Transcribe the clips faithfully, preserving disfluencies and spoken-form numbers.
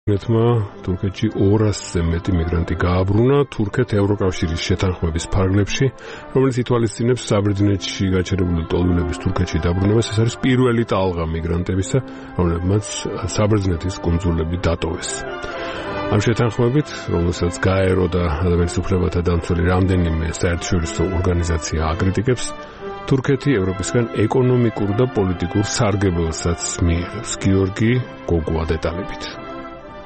ნეთმა თურქეთში ორასზე მეტი მიგრანტი გააბრუნა თურქეთ ევროკავშირის შეთანხმების ფარგლებში, რომელიც ითვალისწინებს საბერძნეთში გაჩერებული ტოლვილების თურქეთში დაბრუნებას. ეს არის პირველი ტალღა მიგრანტებისა, რომლებმაც საბერძნეთის კუნძულები დატოვეს. ამ შეთანხმებით, რომელსაც გაერო და ადამიანის უფლებათა დამცველი რამდენიმე საერთაშორისო ორგანიზაცია აკრიტიკებს, თურქეთი ევროპისგან ეკონომიკურ და პოლიტიკურ სარგებელსაც მიიღებს. გიორგი გოგუა დეტალებით.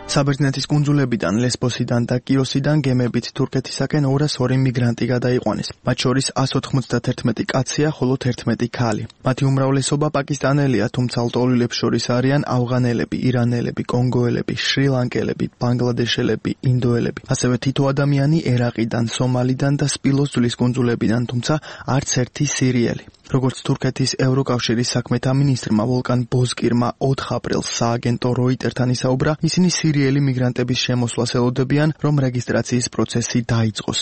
საბერძნეთის კუნძულებიდან, ლესბოსიდან და კიოსიდან გემებით თურქეთისაკენ ორას ორი მიგრანტი გადაიყვანეს. მათ შორის ასი ოცდაათი კაცია, ხოლო თერთმეტი ქალი. მათი უმრავლესობა პაკისტანელია, თუმცა ლტოლვილებს შორის არიან ავღანელები, ირანელები, კონგოელები, შრი-ლანკელები, ბანგლადეშელები, ინდოელები. ასევე თითო ადამიანი ერაყიდან, სომალიდან და სპილოს ძვლის კუნძულებიდან, თუმცა არც ერთი სირიელი. როგორც თურქეთის ევროკავშირის საქმეთა მინისტრმა ვოლკან ბოზკირმა ოთხ აპრილს სააგენტო როიტერთან ისაუბრა, ისინი სირიელი მიგრანტების შემოსვლას ელოდებიან, რომ რეგისტრაციის პროცესი დაიწყოს.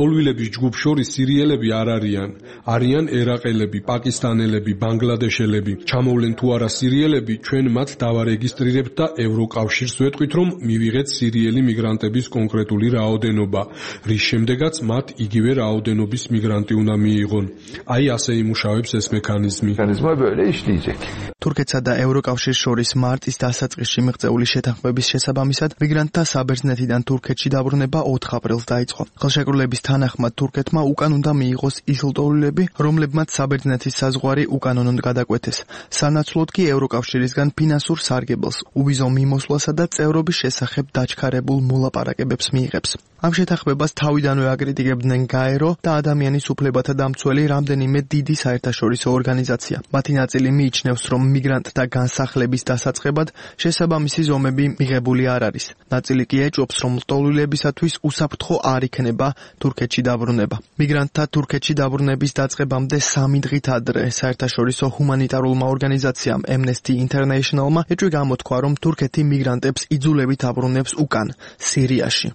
ტოლვილების ჯგუფ შორის სირიელები არ არიან. არიან ერაყელები, პაკისტანელები, ბანგლადეშელები. ჩამოვლენ თუ არა სირიელები, ჩვენ მათ დავარეგისტრირებთ და ევროკავშირს ვეთქვით, რომ მივიღეთ სირიელი მიგრანტების კონკრეტული რაოდენობა, რის შემდეგაც მათ იგივე რაოდენობის მიგრანტი უნდა მიიღონ. აი ასე იმუშავებს ეს მექანიზმი. თურქეთსა და ევროკავშირს შორის მარტის დასაწყისში მიღწეული შეთანხმების შესაბამისად, მიგრანტთა საბერძნეთიდან თურქეთში დაბრუნება ოთხ აპრილს დაიწყო. ხელშეკრულების თანახმად თურქეთმა უკან უნდა მიიღოს ის ლტოლვილები, რომლებმაც საბერძნეთის საზღვარი უკანონოდ გადაკვეთეს. სანაცვლოდ კი ევროკავშირისგან ფინანსურ სარგებელს, უვიზო მიმოსვლასა და წევრობის შესახებ დაჩქარებულ მოლაპარაკებებს მიიღებს. ამ შეთანხმებას თავიდანვე აკრიტიკებდნენ გაერო და ადამიანის უფლებათა დამცველი რამდენიმე დიდი საერთაშორისო ორგანიზაცია. მათი ნაწილი მიიჩნევს, რომ მიგრანტთა განსახლების დასაწყებად შესაბამისი ზომები მიღებული არ არის. ნაწილი კი ეჭვობს, რომ ლტოლვილებისათვის უსაფრთხო არ იქნება თურქეთში დაბრუნება. მიგრანტთა თურქეთში დაბრუნების დაწყებამდე სამი დღით ადრე საერთაშორისო ჰუმანიტარულმა ორგანიზაციამ Amnesty International-მა ეჭვი გამოთქვა, რომ თურქეთი მიგრანტებს იძულებით აბრუნებს უკან, სირიაში.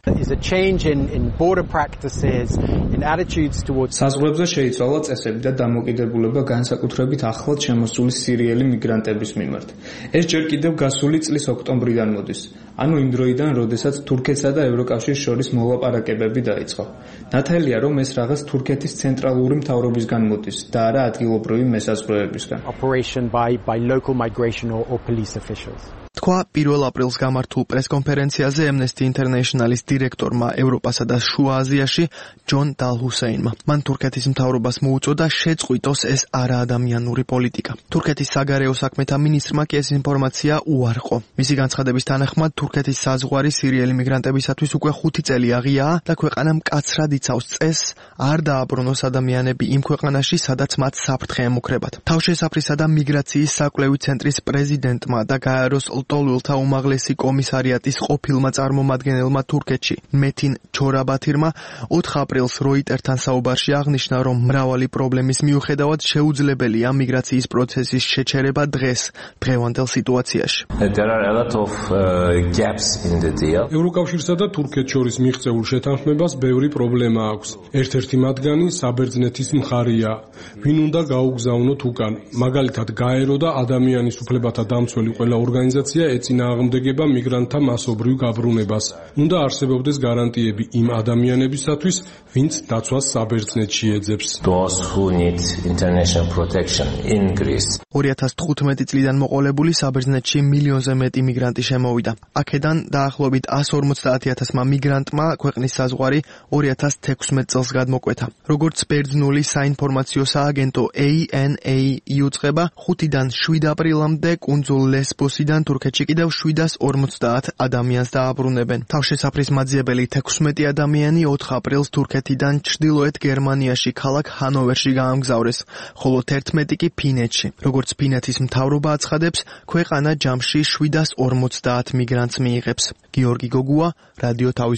საზღვრებზე შეიცვალა წესები და დამოკიდებულება განსაკუთრებით ახლად შემოსული სირიელი მიგრანტების მიმართ. ეს ჯერ კიდევ გასული წლის ოქტომბრიდან მოდის, ანუ იმ დროიდან, როდესაც თურქეთსა და ევროკავშირის შორის მოლაპარაკებები დაიწყო. ნათელია, რომ ეს რაღაც თურქეთის ცენტრალური მთავრობისგან მოდის და არა ადგილობრივი მესაზღვრეებისგან. თქვა პირველ აპრილს გამართულ პრესკონფერენციაზე Amnesty International-ის დირექტორმა ევროპასა და შუა აზიაში ჯონ დალჰუსეინმა. მან თურქეთის მთავრობას მოუწოდა შეწყვიტოს ეს არაადამიანური პოლიტიკა. თურქეთის საგარეო საქმეთა მინისტრმა კი ეს ინფორმაცია უარყო. მისი განცხადების თანახმად თურქეთის საზღვარი სირიელი მიგრანტებისათვის უკვე ხუთი წელი აღიაა და ქვეყანა მკაცრად იცავს წესს არ დააბრუნოს ადამიანები იმ ქვეყანაში, სადაც მათ საფრთხე ემუქრებათ. თავშესაფრისა და მიგრაციის საკვლევი ცენტრის პრეზიდენტმა და გაეროს ლტოლვილთა უმაღლესი კომისარიატის ყოფილმა წარმომადგენელმა თურქეთში მეთინ ჩორაბათირმა ოთხ აპრილს როიტერთან საუბარში აღნიშნა, რომ მრავალი პრობლემის მიუხედავად შეუძლებელია მიგრაციის პროცესის შეჩერება დღეს, დღევანდელ სიტუაციაში. ევროკავშირსა და თურქეთს შორის მიღწეულ შეთანხმებას ბევრი პრობლემა აქვს. ერთ-ერთი მათგანი საბერძნეთის მხარეა. ვინ უნდა გაუგზავნოთ უკან? მაგალითად, გაერო და ადამიანის უფლებათა დამცველი ყველა ორგანიზაცია ეწინააღმდეგება მიგრანტთა მასობრივ გაბრუნებას. უნდა არსებობდეს გარანტიები იმ ადამიანებისათვის, ვინც დაცვას საბერძნეთში ეძებს. ორი ათას თხუთმეტი წლიდან მოყოლებული საბერძნეთში მილიონზე მეტი მიგრანტი შემოვიდა. აქედან დაახლოებით ასი ორმოცდაათი ათასმა მიგრანტმა ქვეყნის საზღვარი ორი ათას თექვსმეტ წელს გადმოკვეთა. როგორც ბერძნული საინფორმაციო სააგენტო A N A იუწყება, ხუთიდან შვიდ აპრილამდე კუნძულ ლესბოსიდან თურქეთში კიდევ შვიდას ორმოცდაათ ადამიანს დააბრუნებენ. თავშესაფრის მაძიებელი თექვსმეტი ადამიანი ოთხ აპრილს თურქეთიდან ჩრდილოეთ გერმანიაში ქალაქ ჰანოვერში გაამგზავრეს, ხოლო თერთმეტი კი ფინეთში. როგორც ფინეთის მთავრობა აცხადებს, ქვეყანა ჯამში შვიდას ორმოცდაათ მიგრანტს მიიღებს. გიორგი გოგუა, რადიო თავის